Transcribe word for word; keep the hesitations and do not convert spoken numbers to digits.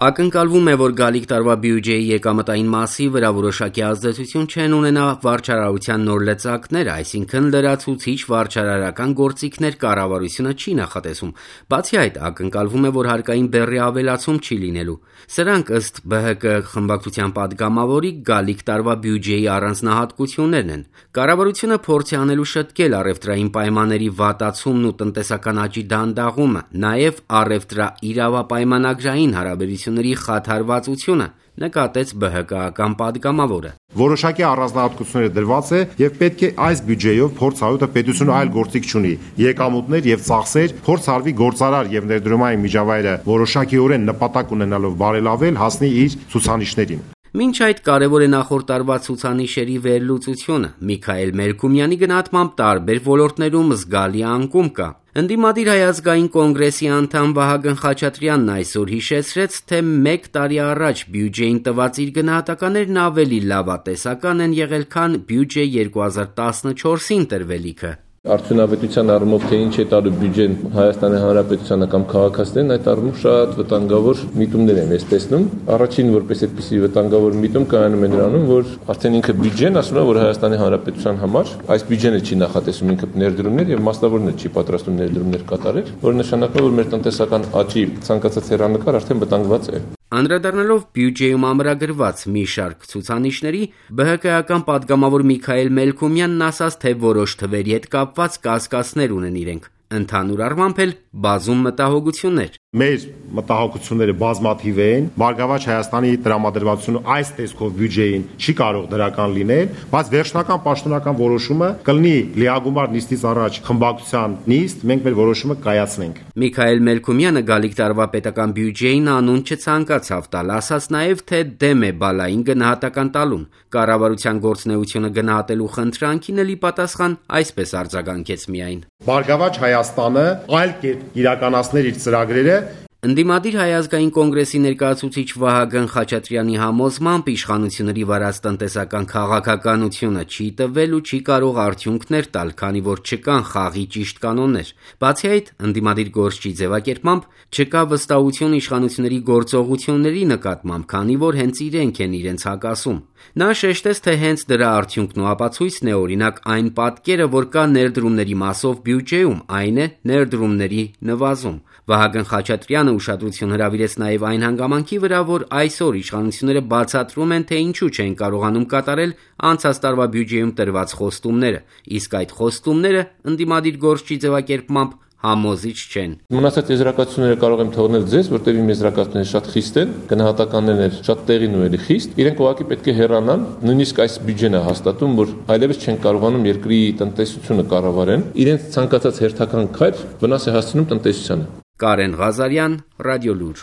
Ակնկալվում է, որ գալիք տարվա բյուջեի եկամտային մասի վրա որոշակի ազդեցություն չեն ունենա վարչարարության նոր լծակները, այսինքն լրացուցիչ վարչարարական գործիքներ կառավարությունը չի նախատեսում։ Բացի այդ, ակնկալվում է, որ հարկային բեռի ավելացում չի լինելու։ Սրանք ըստ Բ Հ Կ խմբակցության պատգամավորի գալիք տարվա բյուջեի առանձնահատկություններն են։ Կառավարությունը փորձ է անելու շտկել առևտրային պայմանների վատացումն ու տնտեսական աճի դանդաղումը, նաև առևտրաիրավապայմանագրային հարաբերությունների խաթարվածությունը, նկատեց Բ Հ Կ-ական պատգամավորը։ Որոշակի առանձնահատկությունները դրված է եւ պետք է այս բյուջեով փորձառույթը պետությունը այլ գործիք չունի։ Եկամուտներ եւ ծախսեր փորձարվի գործարար եւ ներդրումային միջավայրը որոշակիորեն նպատակ ունենալով բարելավել հասնի իր ցուցանիշներին։ Մինչ այդ կարևոր է նախորդ տարվա ցուցանիշերի վերլուծությունը։ Միքայել Մելքումյանի գնահատմամբ տարբեր ոլորտներում զգալի անկում կա։ Ընդդիմադիր Հայ ազգային կոնգրեսի անդամ Վահագն Խաչատրյանն այսօր հիշեցրեց, թե մեկ տարի առաջ բյուջեին տված իր գնահատականներն ավելի լավատեսական են եղել, քան բյուջե երկու հազար տասնչորսին տրվելիքը։ Արդյունավետության առումով թե ինչ է տալու բյուջեն Հայաստանի Հանրապետությանը կամ քաղաքացիներին, այդ առումով շատ վտանգավոր միտումներ են ես տեսնում։ Առաջին որպես այդպիսի վտանգավոր միտում կայանում է նրանում, որ արդեն ինքը բյուջեն ասում է, որ Հայաստանի Հանրապետության համար այս բյուջեն չի նախատեսում ինքը ներդրումներ եւ մասնավորներ չի պատրաստում ներդրումներ կատարել, որը նշանակում է, որ մեր տնտեսական աճի ցանկացած հեռանկար արդեն վտանգված է։ Անդրադառնալով բյուջեում ամրագրված մի շարք ցուցանիշների, Բ Հ Կ-ական պատգամավոր Միքայել Մելքումյանն ասաց, թե որոշ թվերի հետ կապված կասկածներ ունեն իրենք։ Ընդհանուր առմամբ էլ բազում մտահոգություններ։ Մեր մտահոգությունները բազմաթիվ են։ Բարգավաճ Հայաստանի տրամադրվածությունը այս տեսքով բյուջեին չի կարող դրական լինել, բայց վերջնական պաշտոնական որոշումը կլինի լիագումար նիստից առաջ խմբակցության նիստ, մենք մեր որոշումը կայացնենք։ Միքայել Մելքումյանը գալիք տարվա պետական բյուջեին անուն չցանկացավ տալ, ասաց նաև, թե դեմ է բալային գնահատական տալուն։ Կառավարության գործունեությունը գնահատելու խնդրանքին էլ ի պատասխան այսպես արձագանքեց միայն. Բարգավաճ Հայաստանը այլ կերպ իրականացներ իր ծրագրերը։ Ընդդիմադիր Հայ ազգային կոնգրեսի ներկայացուցիչ Վահագն Խաչատրյանի համոզմամբ իշխանությունների վարած տնտեսական քաղաքականությունը չի տվել ու չի կարող արդյունքներ տալ, քանի որ չկան խաղի ճիշտ կանոններ։ Բացի այդ, ընդդիմադիր գործչի ձևակերպմամբ չկա վստահություն իշխանությունների գործողությունների նկատմամբ, քանի որ հենց իրենք են իրենց հակասում։ Նա շեշտեց, թե հենց դրա արդյունքն ու ապացույցն է օրինակ այն պատկերը, որ կա ներդրումների մասով բյուջեում, այն է ներդրումների նվազում։ Վահագն Խաչատրյանը ուշադրություն հրավիրեց նաև այն հանգամանքի վրա, որ այսօր իշխանությունները բացատրում են, թե ինչու չեն կարողանում կատարել անցած տարվա բյուջեում տրված խոստումները, իսկ այդ խոստումները ընդդիմադիր գործչի ձևակերպմամբ համոզիչ չեն։ Մնացած եզրակացությունները կարող եմ թողնել ձեզ, որտեղ իմ եզրակացությունները շատ խիստ են, գնահատականներն շատ տեղին ու էլի խիստ։ Իրենք ուղղակի պետք է հեռանան, նույնիսկ այս բյուջեն է հաստատում, որ այլևս չեն կարողանում երկրի տնտեսությունը կառավարեն։ Իրենց ցանկացած հերթական քայլ վնաս է հասցնում տնտեսությանը։ Կարեն Ղազարյան, Ռադիոլուր։